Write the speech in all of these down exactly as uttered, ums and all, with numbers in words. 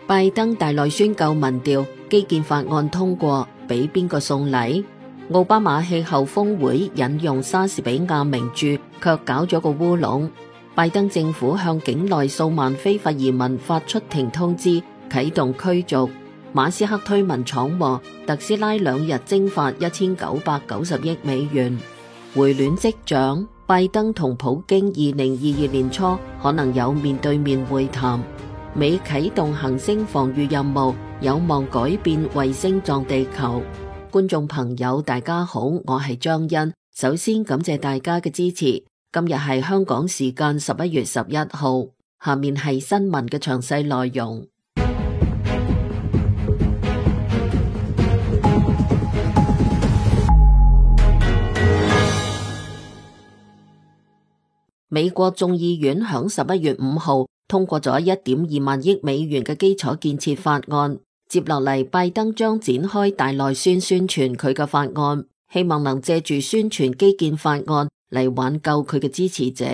拜登大內宣舊民調，基建法案通過，俾邊個送禮？奧巴馬氣候峰會引用莎士比亞名著，卻搞咗個烏龍。拜登政府向境內數萬非法移民發出停通知，啟動驅逐。馬斯克推文闖禍，特斯拉兩日蒸發一千九百九十億美元。回暖跡象，拜登同普京二零二二年初可能有面對面會談。美啟動行星防禦任務，有望改變衛星撞地球。觀眾朋友大家好，我係張欣，首先感謝大家嘅支持。今日係香港時間十一月十一號，下面係新聞嘅詳細內容。美國眾議院響十一月五號通過咗一點二萬億美元嘅基礎建設法案，接落嚟拜登將展開大內宣宣傳佢嘅法案，希望能借住宣傳基建法案嚟挽救佢嘅支持者。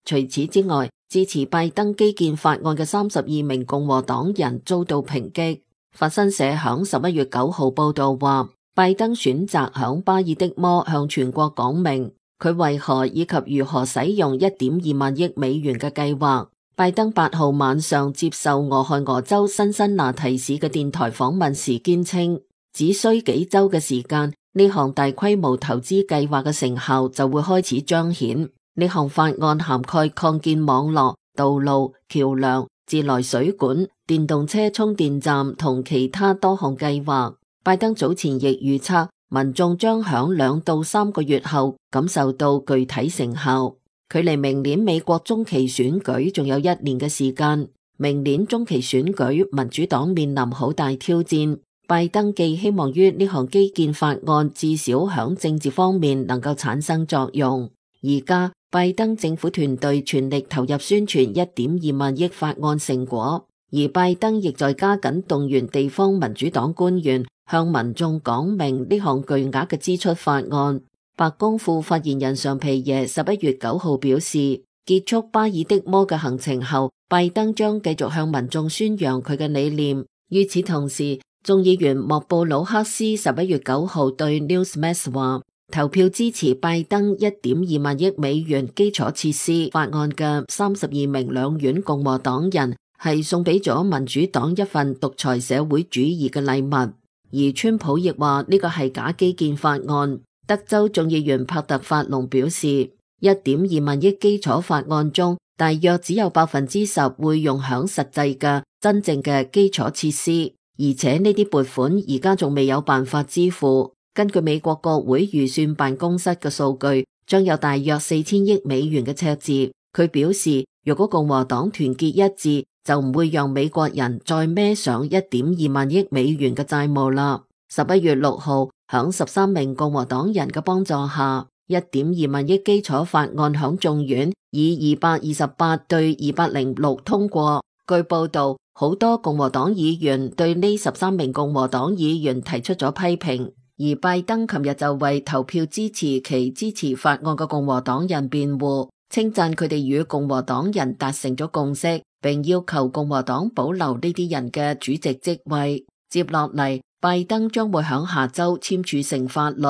除此之外，支持拜登基建法案嘅三十二名共和黨人遭到抨擊。法新社響十一月九號報道話，拜登選擇響巴爾的摩向全國講明佢為何以及如何使用一點二萬億美元嘅計劃。拜登八號晚上接受俄亥俄州辛辛那提市嘅電台訪問時堅稱，只需幾周嘅時間，呢項大規模投資計劃嘅成效就會開始彰顯。呢項法案涵蓋擴建網絡、道路、橋樑、自來水管、電動車充電站同其他多項計劃。拜登早前亦預測，民眾將響兩到三個月後感受到具體成效。距離明年美國中期選舉仲有一年嘅時間，明年中期選舉民主黨面臨好大挑戰。拜登既希望於呢項基建法案至少響政治方面能夠產生作用，而家拜登政府團隊全力投入宣傳一點二萬億法案成果，而拜登亦在加緊動員地方民主黨官員向民眾講明呢項巨額嘅支出法案。白宮副發言人尚皮耶十一月九號表示，結束巴爾的摩嘅行程後，拜登將繼續向民眾宣揚佢嘅理念。與此同時，眾議員莫布魯克斯十一月九號對 Newsmax 話，投票支持拜登一點二萬億美元基礎設施法案嘅三十二名兩院共和黨人係送俾咗民主黨一份獨裁社會主義嘅禮物，而川普亦話呢個係假基建法案。德州眾議員帕特法隆表示，一點二萬億基礎法案中，大約只有百分之十會用響實際嘅真正嘅基礎設施，而且呢啲撥款而家仲未有辦法支付。根據美國國會預算辦公室嘅數據，將有大約四千億美元嘅赤字。佢表示，如果共和黨團結一致，就唔會讓美國人再孭上一點二萬億美元嘅債務啦。十一月六號，響十三名共和黨人嘅幫助下，一點二萬億基礎法案響眾院以二百二十八對二百零六通過。據報道，好多共和黨議員對呢十三名共和黨議員提出咗批評，而拜登琴日就為投票支持其支持法案嘅共和黨人辯護，稱讚佢哋與共和黨人達成咗共識，並要求共和黨保留呢啲人嘅主席職位。接落嚟，拜登將會響下周簽署成法律。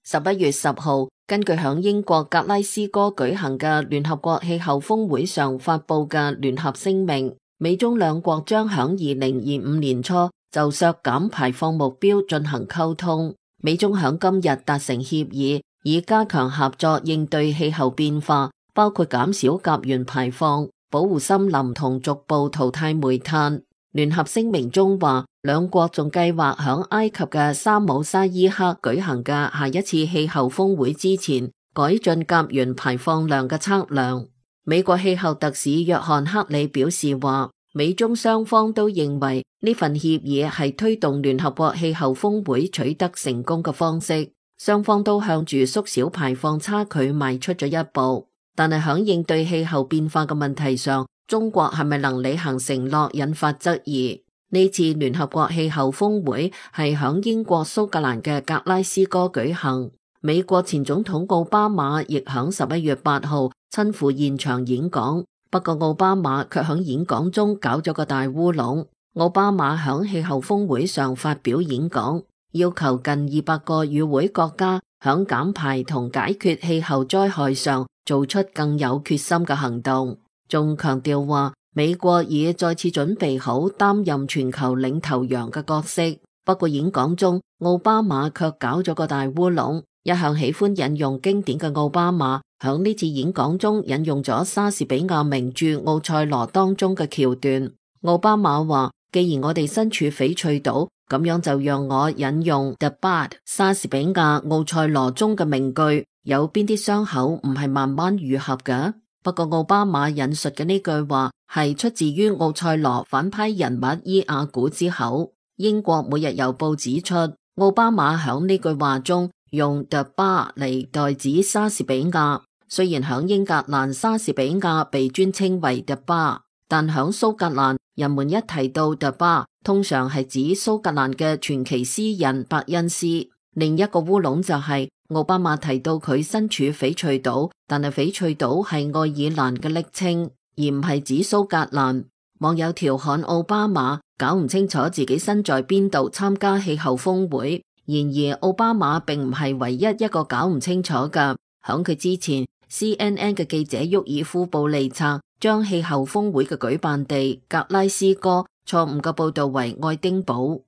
十一月十號，根據響英國格拉斯哥舉行嘅聯合國氣候峰會上發佈嘅聯合聲明，美中兩國將響二零二五年初就削減排放目標進行溝通。美中響今日達成協議，以加強合作應對氣候變化，包括減少甲烷排放、保護森林同逐步淘汰煤炭。聯合聲明中話，兩國仲計劃響埃及嘅沙姆沙伊克舉行嘅下一次氣候峰會之前，改進甲烷排放量嘅測量。美國氣候特使約翰克里表示話，美中雙方都認為呢份協議係推動聯合國氣候峰會取得成功嘅方式，雙方都向住縮小排放差距邁出咗一步。但係響應對氣候變化嘅問題上，中國係咪能履行承諾引發質疑。呢次聯合國氣候峰會係響英國蘇格蘭嘅格拉斯哥舉行，美國前總統奧巴馬亦響十一月八號親赴現場演講，不過奧巴馬卻響演講中搞咗個大烏龍。奧巴馬響氣候峰會上發表演講，要求近二百個與會國家響減排同解決氣候災害上做出更有決心嘅行動，仲強調話美國已再次準備好擔任全球領頭羊嘅角色。不過演講中，奧巴馬卻搞咗個大烏龍。一向喜歡引用經典嘅奧巴馬，響呢次演講中引用咗莎士比亞名著《奧賽羅》當中嘅橋段。奧巴馬話：既然我哋身處翡翠島，咁樣就讓我引用 The Bard 莎士比亞《奧賽羅》中嘅名句：有邊啲傷口唔係慢慢愈合嘅？不過奧巴馬引述嘅呢句話係出自於奧賽羅反派人物伊亞古之口。英國每日郵報指出，奧巴馬響呢句話中用 The Bard 嚟代指莎士比亞。雖然響英格蘭莎士比亞被尊稱為 The Bard， 但響蘇格蘭人們一提到 The Bard， 通常係指蘇格蘭嘅傳奇詩人伯恩斯。另一個烏龍就係、是、奧巴馬提到佢身處翡翠島，但係翡翠島係愛爾蘭嘅昵稱，而唔係指蘇格蘭。網友調侃奧巴馬搞唔清楚自己身在邊度參加氣候峰會。然而奧巴馬並唔係唯一一個搞唔清楚㗎。響佢之前 C N N 嘅記者沃爾夫布利策將氣候峰會嘅舉辦地格拉斯哥錯誤嘅報道為愛丁堡。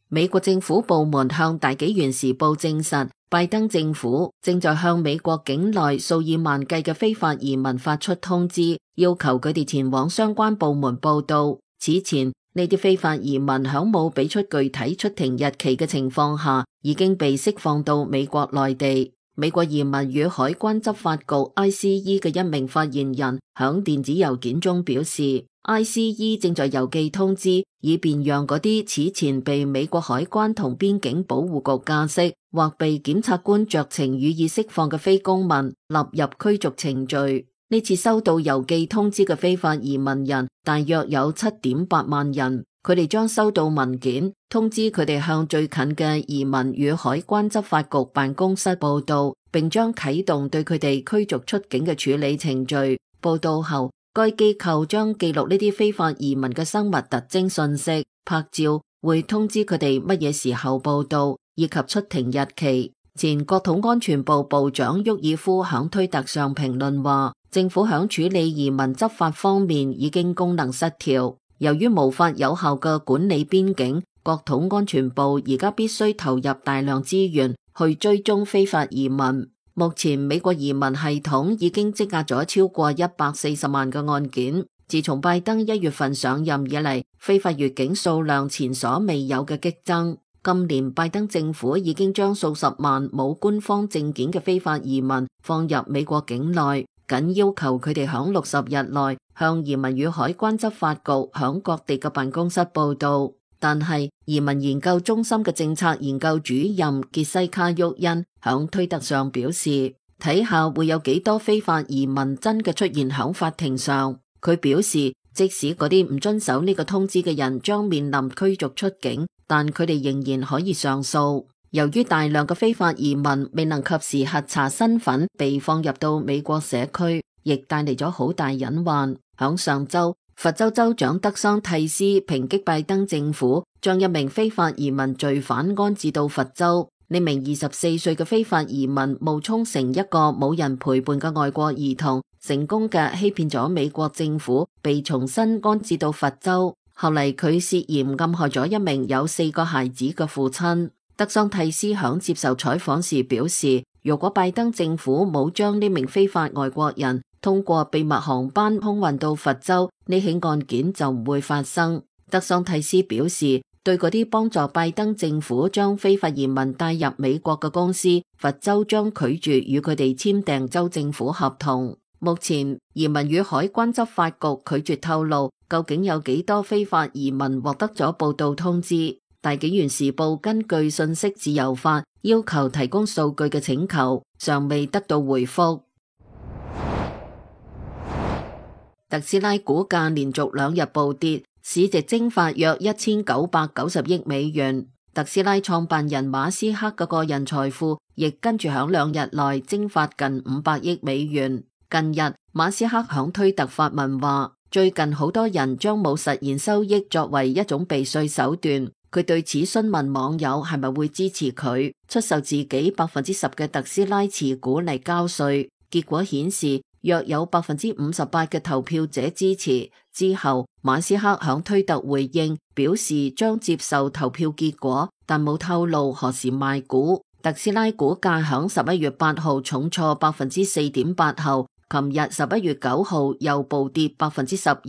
美國政府部門向大紀元時報證實，拜登政府正在向美國境內數以萬計嘅非法移民發出通知，要求佢哋前往相關部門報到。此前呢啲非法移民響冇俾出具體出庭日期嘅情況下，已經被釋放到美國內地。美國移民與海關執法局 I C E 嘅一名發言人響電子郵件中表示， I C E 正在郵寄通知，以便讓嗰啲此前被美國海關同邊境保護局監視或被檢察官酌情予以釋放嘅非公民納入驅逐程序。呢次收到郵寄通知嘅非法移民人大約有 七點八萬人，佢哋將收到文件通知佢哋向最近嘅移民與海關執法局辦公室報到，並將啟動對佢哋驅逐出境嘅處理程序。報到後，該機構將記錄呢啲非法移民嘅生物特徵信息、拍照，會通知佢哋乜嘢時候報到以及出庭日期。前國土安全部部長沃爾夫響推特上評論話，政府響處理移民執法方面已經功能失調，由於無法有效嘅管理邊境，國土安全部而家必須投入大量資源去追蹤非法移民。目前美國移民系統已經積壓咗超過一百四十萬個案件。自從拜登一月份上任以嚟，非法越境數量前所未有嘅激增。今年拜登政府已經將數十萬冇官方證件嘅非法移民放入美國境內，僅要求佢哋響六十日內向移民與海關執法局響各地嘅辦公室報到。但係移民研究中心嘅政策研究主任傑西卡沃恩響推特上表示，睇下會有幾多非法移民真嘅出現響法庭上。佢表示，即使嗰啲唔遵守呢個通知嘅人將面臨驅逐出境，但佢哋仍然可以上訴。由於大量嘅非法移民未能及時核查身份被放入到美國社區，亦帶嚟咗好大隱患。響上週，佛州州長德桑蒂斯抨擊拜登政府將一名非法移民罪犯安置到佛州。呢名二十四歲嘅非法移民冒充成一個冇人陪伴嘅外國兒童，成功嘅欺騙咗美國政府，被重新安置到佛州。後嚟佢涉嫌暗害咗一名有四個孩子嘅父親。德桑蒂斯響接受採訪時表示，如果拜登政府冇將呢名非法外國人通過秘密航班空運到佛州，呢起案件就唔會發生。德桑蒂斯表示，對嗰啲幫助拜登政府將非法移民帶入美國嘅公司，佛州將拒絕與佢哋簽訂州政府合同。目前移民與海關執法局拒絕透露究竟有幾多非法移民獲得咗報到通知。大紀元時報根據信息自由法要求提供數據嘅請求尚未得到回覆。特斯拉股價連續兩日暴跌，市值蒸發約一千九百九十億美元。特斯拉創辦人馬斯克嘅個人財富亦跟住響兩日內蒸發近五百億美元。近日，馬斯克響推特發文話，最近好多人將冇實現收益作為一種避稅手段。佢對此詢問網友係咪會支持佢出售自己百分之十嘅特斯拉持股嚟交稅。結果顯示，約有百分之五十八嘅投票者支持。之後，馬斯克響推特回應，表示將接受投票結果，但冇透露何時賣股。特斯拉股價響十一月八號重挫百分之四點八後，琴日十一月九號又暴跌百分之十二，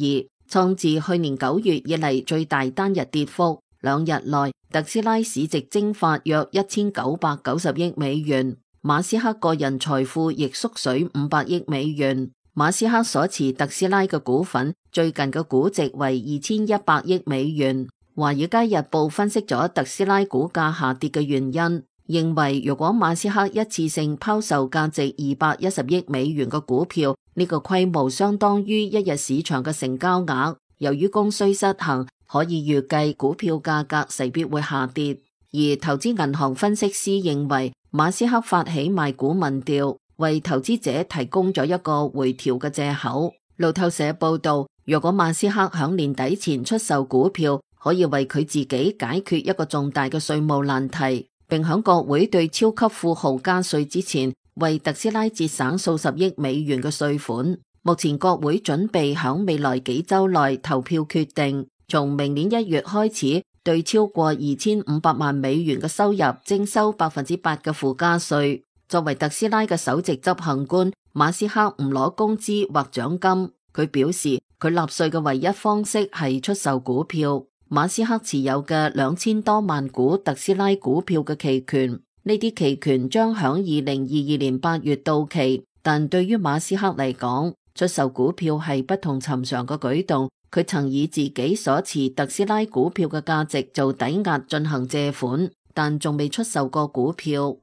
創自去年九月以嚟最大單日跌幅。兩日內，特斯拉市值蒸發約一千九百九十億美元，馬斯克個人財富亦縮水五百億美元。馬斯克所持特斯拉嘅股份最近嘅估值為二千一百億美元。華爾街日報分析咗特斯拉股價下跌嘅原因，認為如果馬斯克一次性拋售價值二百一十億美元嘅股票，呢個規模相當於一日市場嘅成交額。由於供需失衡，可以預計股票價格勢必會下跌。而投資銀行分析師認為，馬斯克發起賣股民調，為投資者提供咗一個回調嘅借口。路透社報道，若果馬斯克響年底前出售股票，可以為佢自己解決一個重大嘅稅務難題，並響國會對超級富豪加稅之前，為特斯拉節省數十億美元嘅稅款。目前國會準備響未來幾週內投票決定，從明年一月開始，對超過二千五百萬美元嘅收入徵收百分之八嘅附加稅。作為特斯拉嘅首席執行官，馬斯克唔攞工資或獎金。佢表示，佢納稅嘅唯一方式係出售股票。馬斯克持有嘅兩千多萬股特斯拉股票嘅期權，呢啲期權將響二零二二年八月到期。但對於馬斯克嚟講，出售股票係不同尋常嘅舉動。佢曾以自己所持特斯拉股票嘅價值做抵押進行借款，但仲未出售過股票。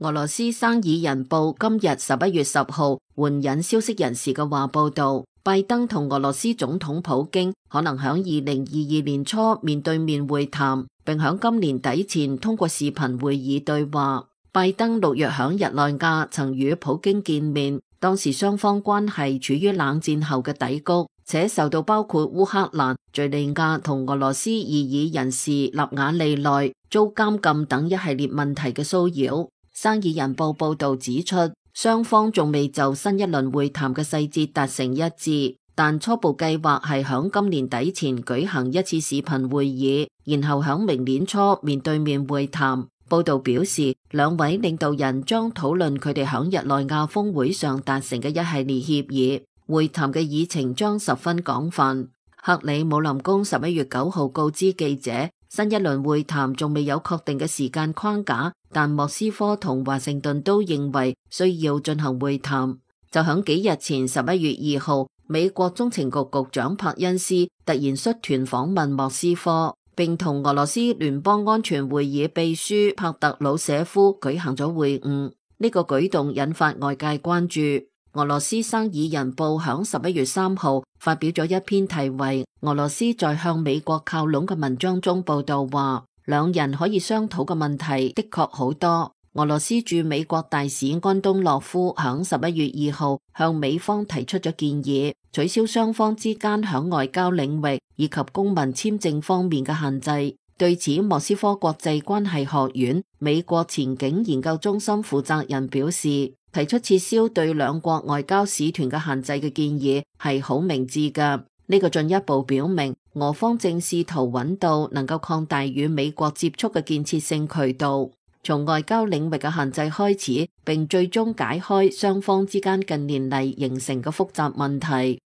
俄羅斯《生意人報》今日十一月十號援引消息人士嘅話報道，拜登同俄羅斯總統普京可能響二零二二年初面對面會談，並響今年底前通過視頻會議對話。拜登六月響日內瓦曾與普京見面，當時雙方關係處於冷戰後嘅低谷，且受到包括烏克蘭、敘利亞同俄羅斯異議人士納瓦利內遭監禁等一系列問題嘅騷擾。生意人報報道指出，雙方仲未就新一輪會談嘅細節達成一致，但初步計劃係響今年底前舉行一次視頻會議，然後響明年初面對面會談。報道表示，兩位領導人將討論佢哋響日內瓦峰會上達成嘅一系列協議。會談嘅議程將十分廣泛。克里姆林宮十一月九號告知記者，新一輪會談仲未有確定嘅時間框架，但莫斯科同華盛頓都認為需要進行會談。就響幾日前十一月二號，美國中情局局長柏恩斯突然率團訪問莫斯科，並同俄羅斯聯邦安全會議秘書帕特魯舍夫舉行咗會晤。呢個舉動引發外界關注。俄羅斯生意人報響十一月三號發表咗一篇題為《俄羅斯在向美國靠攏》嘅文章中報道話，兩人可以商討嘅問題的確好多。俄羅斯駐美國大使安東諾夫響十一月二號向美方提出咗建議，取消雙方之間響外交領域以及公民簽證方面嘅限制。對此，莫斯科國際關係學院美國前景研究中心負責人表示，提出撤銷對兩國外交使團嘅限制嘅建議係好明智㗎。呢個進一步表明，俄方正試圖揾到能夠擴大與美國接觸嘅建設性渠道，從外交領域嘅限制開始，並最終解開雙方之間近年嚟形成嘅複雜問題。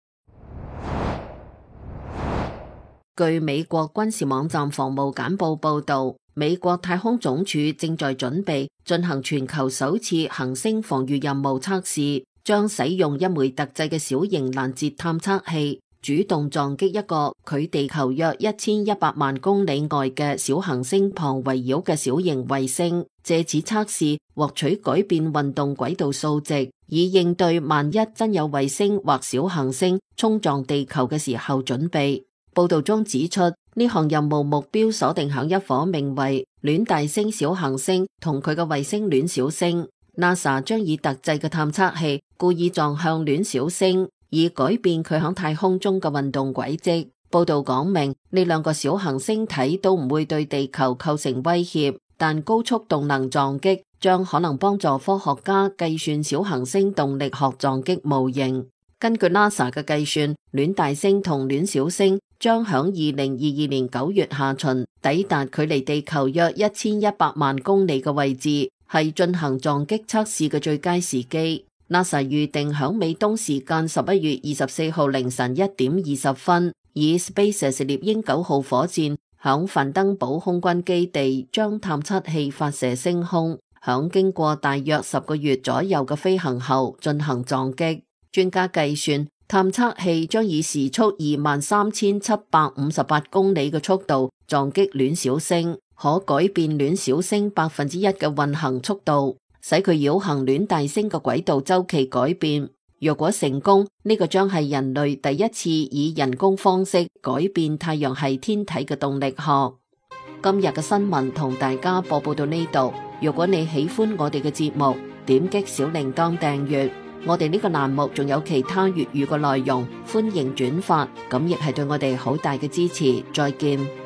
據美國軍事網站防務簡報報道，美國太空總署正在準備進行全球首次行星防禦任務測試，將使用一枚特製嘅小型攔截探測器，主動撞擊一個距地球約一千一百萬公里外嘅小行星旁圍繞嘅小型衛星，借此測試獲取改變運動軌道數值，以應對萬一真有衛星或小行星衝撞地球嘅時候準備。報道中指出，呢項任務目標鎖定響一顆名為戀大星小行星同佢嘅衛星戀小星。NASA 將以特製嘅探測器故意撞向戀小星，以改變佢響太空中嘅運動軌跡。報道講明呢兩個小行星體都唔會對地球構成威脅，但高速動能撞擊將可能幫助科學家計算小行星動力學撞擊模型。根據 NASA 嘅計算，戀大星同戀小星將響二零二二年九月下旬抵達距離地球約一千一百萬公里嘅位置，係進行撞擊測試嘅最佳時機。NASA 預定響美東時間十一月二十四號凌晨一點二十分，以 SpaceX 獵鷹九號火箭響范登堡空軍基地將探測器發射升空，響經過大約十個月左右嘅飛行後進行撞擊。專家計算，探測器將以時速二萬三千七百五十八公里嘅速度撞擊戀小星，可改變戀小星百分之一嘅運行速度，使佢繞行戀大星嘅軌道周期改變。若果成功，呢個將係人類第一次以人工方式改變太陽系天體嘅動力學。今日嘅新聞同大家播報到呢度。如果你喜歡我哋嘅節目，點擊小鈴鐺訂閱。我哋呢個欄目仲有其他粵語嘅內容，歡迎轉發，咁亦係對我哋好大嘅支持。再見。